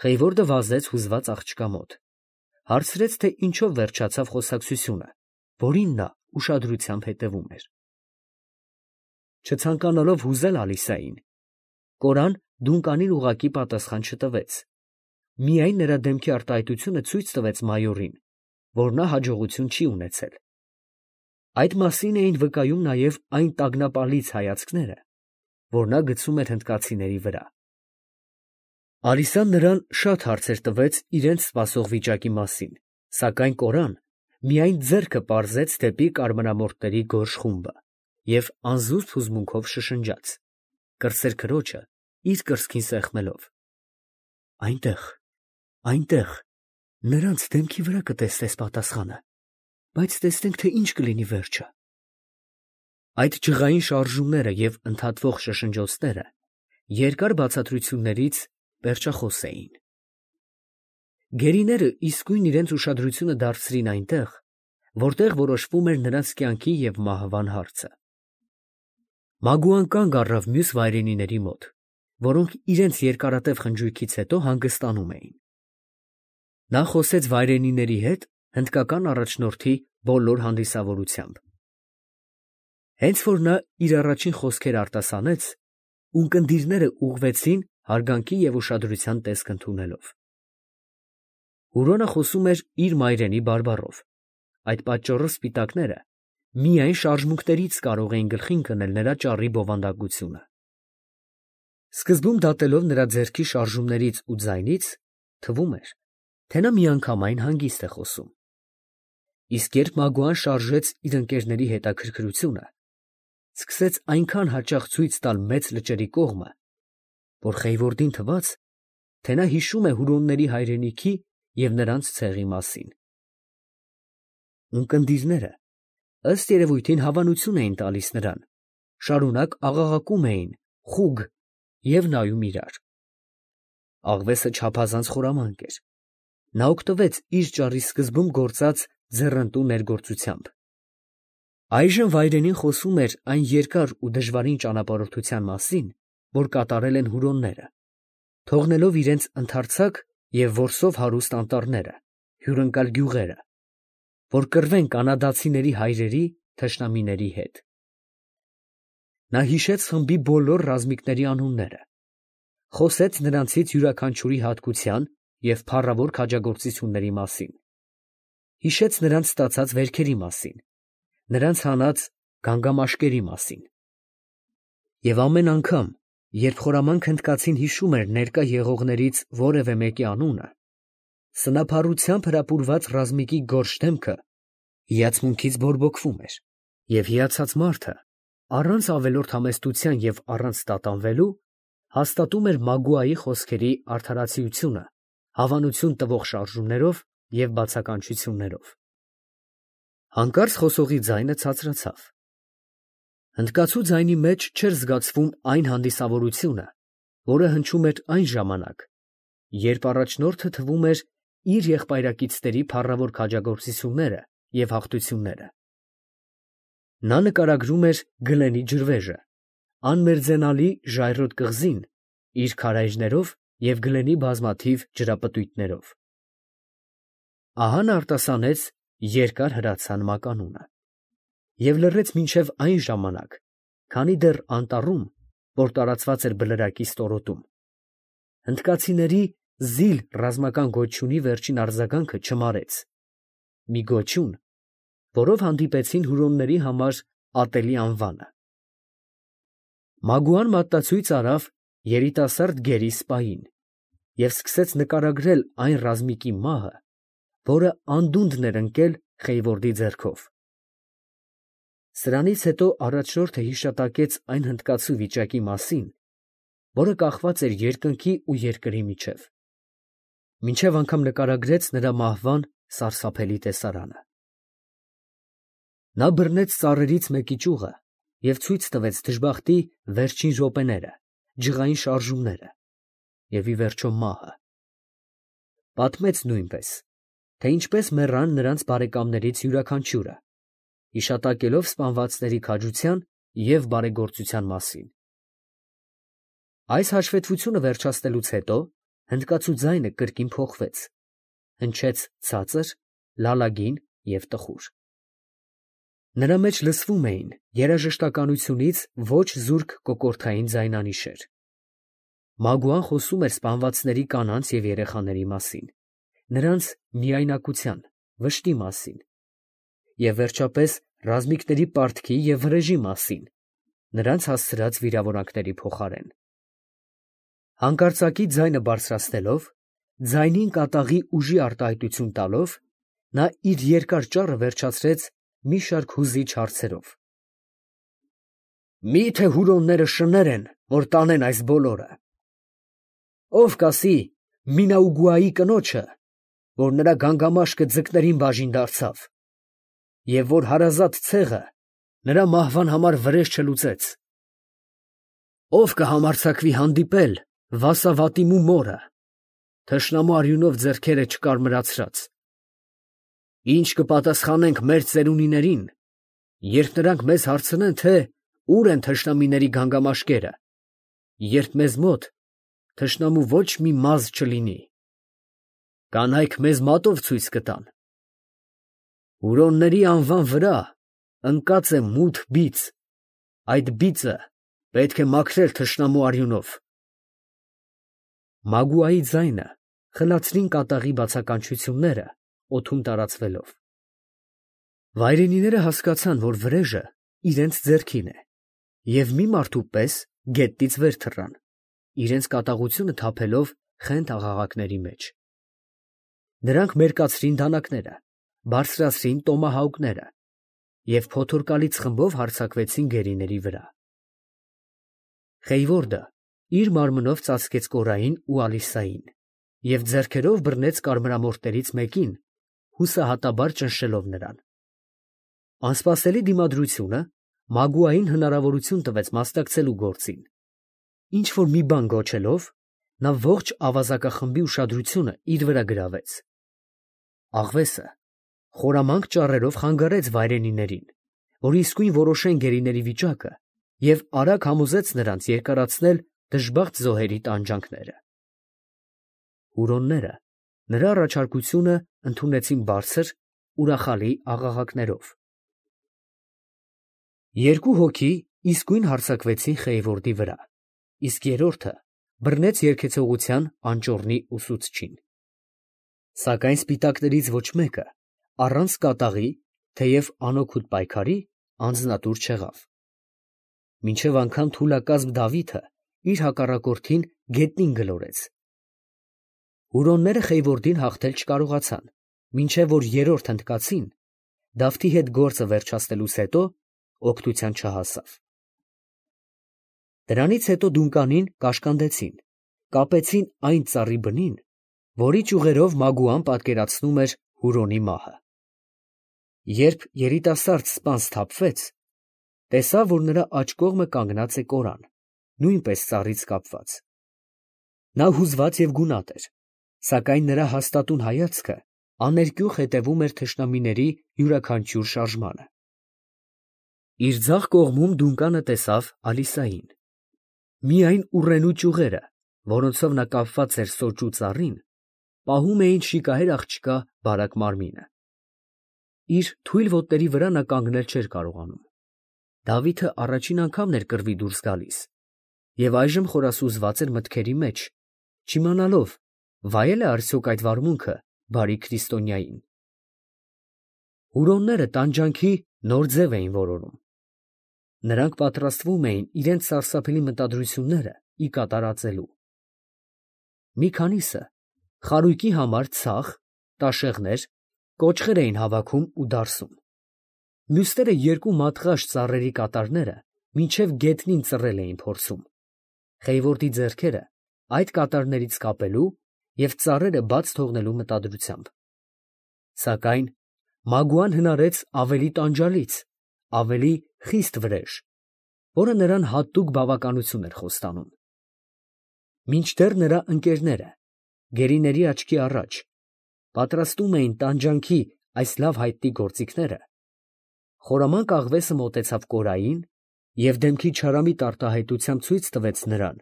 Խեյվորդը վազեց հուզված աղջկա մոտ, հարցրեց, թե ինչով վերջացավ խոսակցությունը, որին նա ուշադրությամբ հետևում էր։ Չցանկանալով հուզել Ալիսային, կորան դունկանին ուղղակի պատասխան չտվեց, միայն նրա դեմքի արտահայտությունը ցույց տվեց մայորին, որ նա հաջողություն չի ունեցել։ Այդ մասին էին վկայում նաև այն տագնապալից հայացքները, որ նա գցում էր հնդկացիների վրա։ Ալիսան նրան շատ հարցեր տվեց իրենց սպասող վիճակի մասին, սակայն կորան միայն ձեռքը պարզեց դեպի կարմրամորթների գորշ խումբը և անզուսպ հուզմունքով շշնջաց, կրտսեր քրոջը իր կրծքին սեղմելով. «Այնտեղ, այնտեղ, նրանց դեմքի վրա կտեսնես պատասխանը, բայց տեսնենք, թե ինչ կլինի վերջը»։ Այդ ջղային շարժումները և ընդհատվող շշնջոցները երկար բացատրություններից պերճախոս էին։ Գերիները իսկույն իրենց ուշադրությունը դարձրին այնտեղ, որտեղ որոշվում էր նրանց կյանքի և մահվան հարցը։ Մագուան կանգ առավ մյուս վայրենիների մոտ, որոնք իրենց երկարատև խնջույքից հետո հանգստանում էին։ Նա խոսեց վայրենիների հետ հնդկական առաջնորդի բոլոր հանդիսավորությամբ։ Հենց որ նա իր առաջին խոսքերը արտասանեց, ունկնդիրները ուղղվեցին հարգանքի և ուշադրության տեսք ընդունելով։ Հուրոնը խոսում էր իր մայրենի բարբառով, այդ պատճառով սպիտակները միայն շարժմունքներից կարող էին գլխին կնել նրա ճառի բովանդակությունը։ Սկզբում դատելով նրա ձեռքի շարժումներից ու ձայնից, թվում էր, թե նա միանգամայն հանգիստ է խոսում։ Իսկ երբ Մագուան շարժեց իր ընկերների հետաքրքրությունը, սկսեց այնքան հաճախ ցույց տալ մեծ լճերի կողմը, որ Խեյվորդին թվաց, թե նա հիշում է հուրոնների հայրենիքի և նրանց ցեղի մասին։ Ունկնդիրները, ըստ երևույթին, հավանություն էին տալիս նրան, շարունակ աղաղակում էին «խուգ» և նայում իրար։ Աղվեսը չափազանց խորամանկ էր։ Նա օգտվեց իր ճառի սկզբում գործած ձեռնտու ներգործությամբ։ Այժմ վայրենին խոսում էր այն երկար ու դժվարին ճանապարհորդության մասին, որ կատարել են հուրոնները, թողնելով իրենց ընդարձակ և որսով հարուստ անտառները, հյուրընկալ գյուղերը, որ կռվեն կանադացիների հայրերի թշնամիների հետ։ Նա հիշեց խմբի բոլոր ռազմիկների անունները, խոսեց նրանցից յուրաքանչյուրի հատկության և փառավոր քաջագործությունների մասին, հիշեց նրանց ստացած վերքերի մասին, նրանց հանած գանգամաշկերի մասին։ Եվ ամեն անգամ, երբ խորամանկ հնդկացին հիշում էր ներկա եղողներից որևէ մեկի անունը, սնափառությամբ հրապուրված ռազմիկի գորշ դեմքը հիացմունքից բորբոքվում էր, և հիացած մարդը, առանց ավելորդ համեստության և առանց տատանվելու, հաստատում էր Մագուայի խոսքերի արդարացիությունը հավանություն տվող շարժումներով և բացականչություններով։ Հանկարծ խոսողի ձայնը ցածրացավ։ Հնդկացու ձայնի մեջ չէր զգացվում այն հանդիսավորությունը, որը հնչում էր այն ժամանակ, երբ առաջնորդը թվում էր իր եղբայրակիցների փառավոր քաջագործությունները և հաղթությունները։ Նա նկարագրում էր Գլենի ջրվեժը, անմերձենալի ժայռոտ կղզին իր քարայրներով և Գլենի բազմաթիվ ջրապտույտներով։ Ահա նա արտասանեց երկար հրացան մականունը և լռեց մինչև այն ժամանակ, քանի դեռ անտառում, որ տարածված էր բլրակի ստորոտում, հնդկացիների զիլ ռազմական գոչյունի վերջին արձագանքը չմարեց, մի գոչյուն, որով հանդիպեցին հուրոնների համար ատելի անվանը։ Մագուան մատնացույց արավ երիտասարդ գերի սպային և սկսեց նկարագրել այն ռազմիկի մահը, որը անդունդն էր ընկել Խեյվորդի ձեռքով։ Սրանից հետո առաջնորդը հիշատակեց այն հնդկացու վիճակի մասին, որը կախված էր երկնքի ու երկրի միջև, մինչև անգամ նկարագրեց նրա մահվան սարսափելի տեսարանը։ Նա բռնեց ծառերից մեկի ճյուղը և ցույց տվեց դժբախտի վերջին րոպեները, ջղային շարժումները և, ի վերջո, մահը։ Պատմեց նույնպես, թե ինչպես մեռան նրանց բարեկամներից յուրաքանչյուրը, հիշատակելով սպանվածների քաջության և բարեգործության մասին։ Այս հաշվետվությունը վերջացնելուց հետո հնդկացու ձայնը կրկին փոխվեց, հնչեց ցածր, լալագին և տխուր։ Նրա մեջ լսվում էին երաժշտականությունից ոչ զուրկ կոկորդային ձայնանիշեր։ Մագուան խոսում էր սպանվածների կանանց և երեխաների մասին, նրանց միայնակության, վշտի մասին և վերջապես ռազմիկների պարտքի և վրեժի մասին, նրանց հասցրած վիրավորանքների փոխարեն։ Հանկարծակի ձայնը բարձրացնելով, ձայնին կատաղի ուժի արտահայտություն տալով, նա իր երկար ճառը վերջացրեց մի շարք հուզիչ հարցերով. «Մի՞թե հուրոնները շներ են, որ տանեն այս բոլորը։ Ո՞վ կասի Մինաուգուայի կնոջը, որ նրա գանգամաշկը ձկներին բաժին դարձավ, և որ հարազատ ցեղը նրա մահվան համար վրեժ չլուծեց։ Ո՞վ կհամարձակվի հանդիպել Վասավատիմու մորը, թշնամու արյունով ձեռքերը չկարմրացրած։ Ի՞նչ կպատասխանենք մեր ծերունիներին, երբ նրանք մեզ հարցնեն, թե ո՞ւր են թշնամիների գանգամաշկերը, երբ մեզ մոտ թշնամու ոչ մի մազ չլինի։ Կանայք մեզ մատով ցույց կտան։ Հուրոնների անվան վրա ընկած է մութ բիծ, այդ բիծը պետք է մաքրել թշնամու արյունով»։ Մագուայի ձայնը խլացրին կատաղի բացականչությունները, օդում տարածվելով։ Վայրենիները հասկացան, որ վրեժը իրենց ձեռքին է, և մի մարդու պես գետնից վեր թռան, իրենց կատաղությունը թափելով խենթ աղաղակների մեջ։ Նրանք մերկացրին դանակները, բարձրացրին տոմահաուկները և փոթորկալից խմբով հարձակվեցին գերիների վրա։ Խեյվորդը իր մարմնով ծածկեց Կորային ու Ալիսային և ձեռքերով բռնեց կարմրամորթներից մեկին, հուսահատաբար ճնշելով նրան։ Անսպասելի դիմադրությունը Մագուային հնարավորություն տվեց մասնակցելու գործին։ Ինչ֊որ մի բան գոչելով, նա ողջ ավազակախմբի ուշադրությունը իր վրա գրավեց։ Աղվեսը խորամանկ ճառերով խանգարեց վայրենիներին, որ իսկույն որոշեն գերիների վիճակը և արագ համոզեց նրանց երկարացնել դժբախտ զոհերի տանջանքները։ Հուրոնները նրա առաջարկությունը ընդունեցին բարձր, ուրախալի աղաղակներով։ Երկու հոգի իսկույն հարձակվեցին Խեյվորդի վրա, իսկ երրորդը բռնեց երգեցողության անճոռնի ուսուցչին։ Սակայն սպիտակներից ոչ մեկը առանց կատաղի, թեև անօգուտ պայքարի, անձնատուր չեղավ։ Մինչև անգամ թուլակազմ Դավիթը իր հակառակորդին գետնին գլորեց։ Հուրոնները Խեյվորդին հաղթել չկարողացան, մինչև որ երրորդ հնդկացին, Դավթի հետ գործը վերջացնելուց հետո, օգնության չհասավ։ Դրանից հետո դունկանին կաշկանդեցին, կապեցին այն ծառի բնին, որի ճյուղերով Մագուան պատկերացնում էր Հուրոնի մահը։ Երբ երիտասարդ սպան սթափվեց, տեսավ, որ նրա աջ կողմը կանգնած է Կորան, նույնպես ծառից կապված։ Նա հուզված և գունատ էր, սակայն նրա հաստատուն հայացքը աներկյուղ հետևում էր թշնամիների յուրաքանչյուր շարժմանը։ Իր ձախ կողմում դունկանը տեսավ Ալիսային։ Միայն ուռենու ճյուղերը, որոնցով նա կապված էր սոճու ծառին, պահում էին շիկահեր աղջկա բարակ մարմինը։ Իր թույլ ոտների վրա նա կանգնել չէր կարողանում։ Դավիթը առաջին անգամն էր կռվի դուրս գալիս և այժմ խորասուզված էր մտքերի մեջ, չիմանալով վայել է արդյոք այդ վարմունքը բարի քրիստոնյային։ Հուրոնները տանջանքի նոր ձև էին որոնում։ Նրանք պատրաստվում էին իրենց սարսափելի մտադրությունները ի կատարածելու։ Մի քանիսը խարույկի համար ցախ, տաշեղներ, կոճղեր էին հավաքում ու դարսում։ Մյուսները երկու մատղաշ ծառերի կատարները մինչև գետնին ծռել էին փորձում, Խեյվորդի ձեռքերը այդ կատարներից կապելու և ծառերը բաց թողնելու մտադրությամբ։ Սակայն Մագուան հնարեց ավելի տանջալից, ավելի խիստ վրեժ, որը նրան հատուկ բավականություն էր խոստանում։ Մինչդեռ նրա ընկերները, գերիների աչքի առաջ, պատրաստում էին տանջանքի այս լավ հայտնի գործիքները, խորամանկ աղվեսը մոտեցավ Կորային և դեմքի չարամիտ արտահայտությամբ ցույց տվեց նրան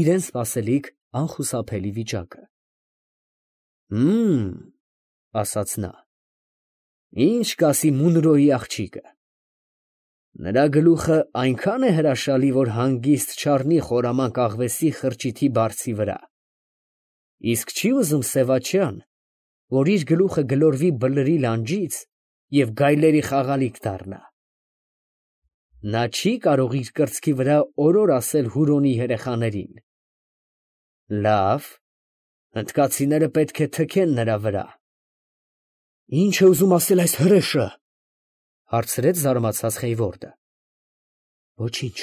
իրան սպասելիք անխուսափելի վիճակը։ Ասաց նա, ինչ կասի Մունրոյի աղջիկը։ Նրա գլուխը այնքան է հրաշալի, որ հանգիստ չառնի խորամանկ աղվեսի խրճիթի բարձի վրա, իսկ չի ուզում Սևաչյան, որ իր գլուխը գլորվի բլրի լանջից և գայլերի խաղալիք դառնա։ Նա չի կարող իր կրծքի վրա օրոր ասել Հուրոնի երեխաներին. լավ, հնդկացիները պետք է թքեն նրա վրա։ Ի՞նչ է ուզում ասել այս հրեշը, հարցրեց զարմացած Խեյվորդը։ Ոչինչ,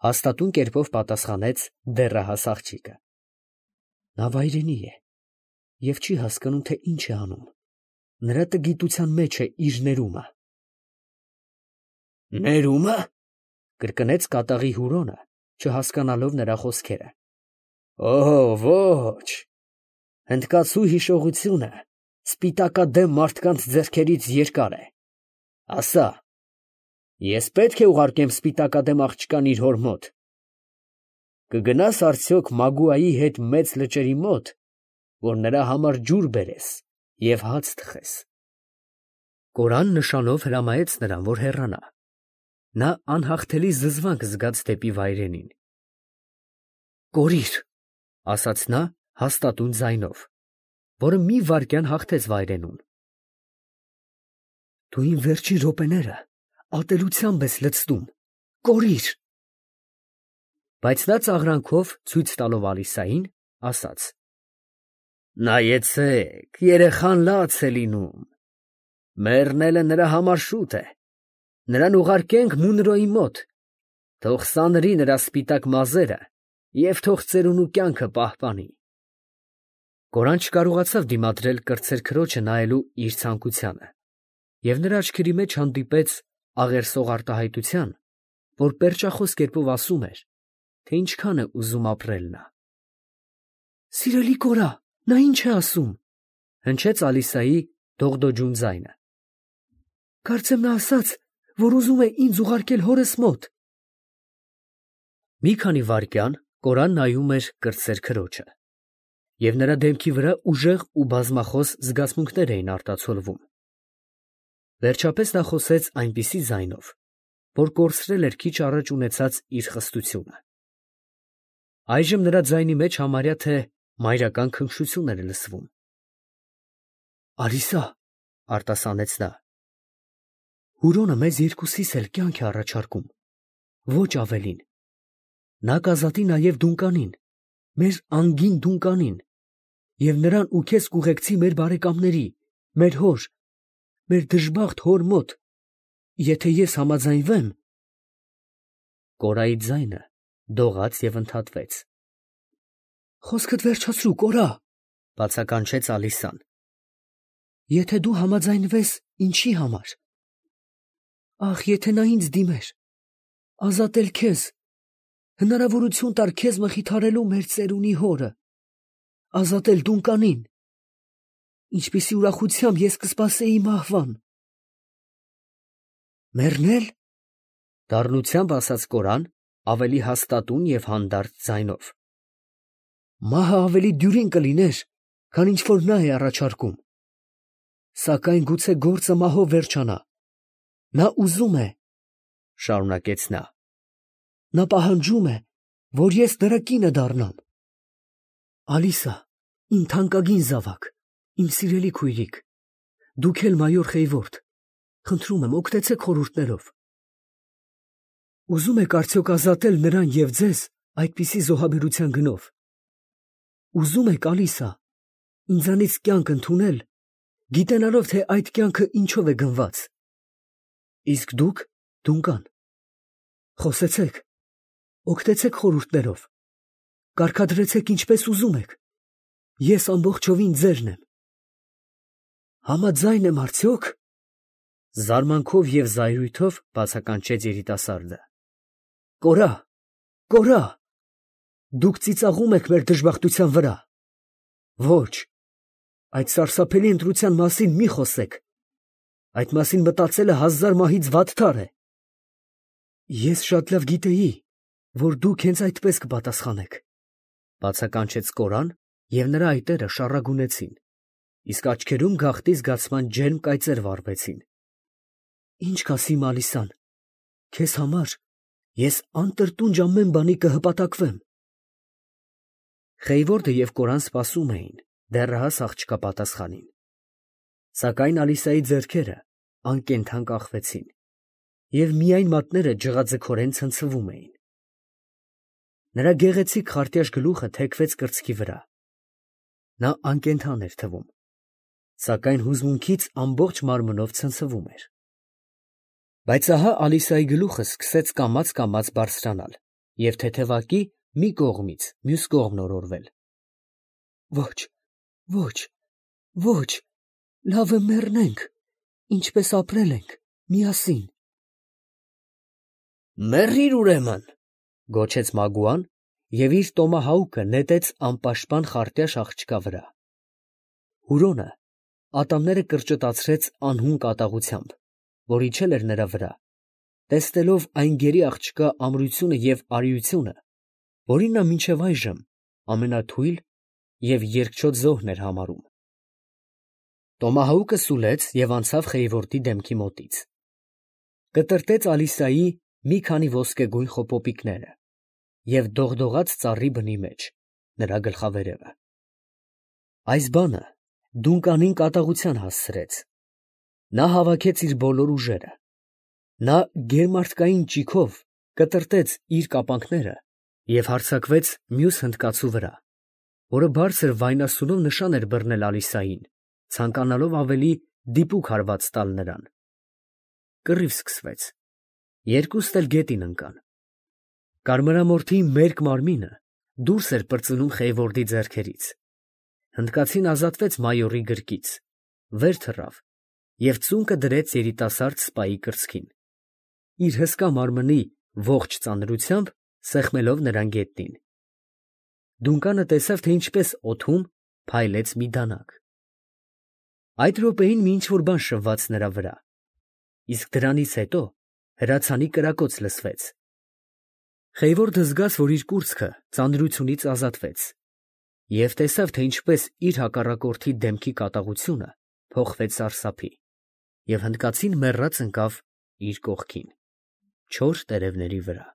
հաստատուն կերպով պատասխանեց դեռահաս աղջիկը։ Նա վայրենի է և չի հասկանում, թե ինչ է անում։ Նրա տգիտության մեջ է իր ներումը։ Ներումը, կրկնեց կատաղի Հուրոնը, չհասկանալով նրա խոսքերը։ Ոչ, հնդկացու հիշողությունը սպիտակադեմ մարդկանց ձեռքերից երկար է։ Ասա, ես պետք է ուղարկեմ սպիտակադեմ աղջկան իր հոր մոտ։ Կգնաս արդյոք Մագուայի հետ մեծ լճերի մոտ, որ նրա համար ջուր բերես և հաց թխես։ Կորան նշանով հրամայեց նրան, որ հեռանա։ Նա անհաղթելի զզվանք զգաց դեպի վայրենին։ Կորիր, ասաց նա հաստատուն ձայնով, որը մի վայրկյան հաղթեց վայրենուն։ Դու իմ վերջին րոպեները ատելությամբ ես լցնում, կորիր։ Բայց նա ծաղրանքով ցույց տալով Ալիսային, ասաց. Նայեցեք, երեխան լաց է լինում։ Մեռնելը նրա համար շուտ է։ Նրան ուղարկենք Մունրոյի մոտ, թող սանրի նրա սպիտակ մազերը և թող ծերունու կյանքը պահպանի։ Կորան չկարողացավ դիմադրել կրտսեր քրոջը նայելու իր ցանկությանը, և նրա աչքերի մեջ հանդիպեց աղերսող արտահայտության, որ պերճախոս կերպով ասում էր, թե ինչքան է ուզում ապրել նա։ Սիրելի կորա, նա ինչ է ասում, հնչեց Ալիսայի դողդոջուն ձայնը։ Կարծեմ նա ասաց, որ ուզում է ինձ ուղարկել հորս մոտ։ Մի քանի վայրկյան Կորան նայում էր կրտսեր քրոջը, և նրա դեմքի վրա ուժեղ ու բազմախոս զգացմունքներ էին արտացոլվում։ Վերջապես նա խոսեց այնպիսի ձայնով, որ կորցրել էր քիչ առաջ ունեցած իր խստությունը։ Այժմ նրա ձայնի մեջ համարյա թե մայրական քնքշություն էր լսվում։ Ալիսա, արտասանեց նա, Հուրոնը մեզ երկուսիս էլ կյանք է առաջարկում, ոչ ավելին։ Նա կազատի նաև Դունկանին, մեր անգին Դունկանին, և նրան ու քեզ կուղեկցի մեր բարեկամների, մեր հոր, մեր դժբախտ հոր մոտ, եթե ես համաձայնվեմ։ Կորայի ձայնը դողաց և ընդհատվեց։ Խոսքդ վերջացրու, կորա, բացականչեց Ալիսան։ Եթե դու համաձայնվես, ինչի համար։ Ախ, եթե նա ինձ դիմեր, ազատել քեզ, հնարավորություն տար քեզ մխիթարելու մեր ծերունի հորը, ազատել Դունկանին, ինչպիսի ուրախությամբ ես կսպասեի մահվան։ Մեռնել, դառնությամբ ասաց Կորան ավելի հաստատուն և հանդարտ ձայնով։ Մահը ավելի դյուրին կլիներ, քան ինչ որ նա է առաջարկում։ Սակայն գուցե գործը մահով վերջանա։ Նա ուզում է, շարունակեց նա։ Նա պահանջում է, որ ես նրա կինը դառնամ։ Ալիսա, իմ թանկագին զավակ, իմ սիրելի քույրիկ, դուք էլ մայոր Խեյվորդ, խնդրում եմ, օգնեցեք խորհուրդներով։ Ուզում եք արդյոք ազատել նրան և ձեզ այդպիսի զոհաբերության գնով։ Ուզում եք, Ալիսա, ինձանից կյանք ընդունել, գիտենալով, թե այդ կյանքը ինչով է գնված։ Իսկ դուք, Դունկան, խոսեցեք, օգնեցեք խորհուրդներով, կարգադրեցեք ինչպես ուզում եք, ես ամբողջովին ձերն եմ։ Համաձայն եմ արդյոք։ Զարմանքով և զայրույթով բացականչեց երիտասարդը։ Կորա, կորա, դուք ծիծաղում եք մեր դժբախտության վրա։ Ոչ, այդ սարսափելի ընտրության մասին մի խոսեք։ Այդ մասին մտածելը 1000 մահից վատթար է։ Ես շատ լավ գիտեի, որ դուք հենց այդպես կպատասխանեք, բացականչեց Կորան և նրա այտերը շառագունեցին, իսկ աչքերում գաղտնի զգացման ջերմ կայծեր վառվեցին։ Ինչ կասի Մալիսան, քեզ համար ես անտրտունջ ամեն բանի կհպատակվեմ։ Խեյվորդը և Կորան սպասում էին դեռահաս աղջկա պատասխանին, սակայն Ալիսայի ձեռքերը անկենդան կախվեցին, և միայն մատները ջղաձգորեն ցնցվում էին։ Նրա գեղեցիկ խարտյաշ գլուխը թեքվեց կրծքի վրա։ Նա անկենդան էր թվում, սակայն հուզմունքից ամբողջ մարմնով ցնցվում էր։ Բայց ահա Ալիսայի գլուխը սկսեց կամաց բարձրանալ և թեթևակի մի կողմից մյուս կողմն օրորվել։ Ոչ, ոչ, ոչ, լավ է մեռնենք, ինչպես ապրել ենք միասին։ Մեռիր ուրեմն, գոչեց Մագուան և իր տոմահաուկը նետեց անպաշտպան խարտյաշ աղջկա վրա։ Հուրոնը ատամները կրճտացրեց անհուն կատաղությամբ, որ իջել էր նրա վրա, տեսնելով այն գերի աղջկա ամրությունը և արիությունը, որին նա մինչև այժմ ամենաթույլ և երկչոտ զոհն էր համարում։ Տոմահաուկը սուլեց և անցավ Խեյվորդի դեմքի մոտից, կտրտեց Ալիսայի մի քանի ոսկեգույն խոպոպիկները և դողդողաց ծառի բնի մեջ նրա գլխավերևը։ Այս բանը Դունկանին կատաղության հասցրեց։ Նա հավաքեց իր բոլոր ուժերը, նա գերմարտկային ճիգով կտրտեց իր կապանքները և հարձակվեց մյուս հնդկացու վրա, որը բարձր վայնասունով նշան էր բռնել Ալիսային, ցանկանալով ավելի դիպուկ հարված տալ նրան։ Կռիվ սկսվեց, երկուստ էլ գետին ընկան։ Կարմրամորթի մերկ մարմինը դուրս էր պրծնում Խեյվորդի ձեռքերից։ Հնդկացին ազատվեց մայորի գրկից, վեր թռավ և ծունկը դրեց երիտասարդ սպայի կրծքին, իր հսկա մարմնի ողջ ծանրությամբ սեղմելով նրան գետնին։ Դունկանը տեսավ, թե ինչպես օդում փայլեց մի դանակ։ Այդ րոպեին մի ինչ֊որ բան շվվաց նրա վրա, իսկ դրանից հետո հրացանի կրակոց լսվեց։ Խեյվորդը զգաց, որ իր կուրծքը ծանրությունից ազատվեց, և տեսավ, թե ինչպես իր հակառակորդի դեմքի կատաղությունը փոխվեց սարսափի, և հնդկացին մեռած ընկավ իր կողքին, չոր տերևների վրա։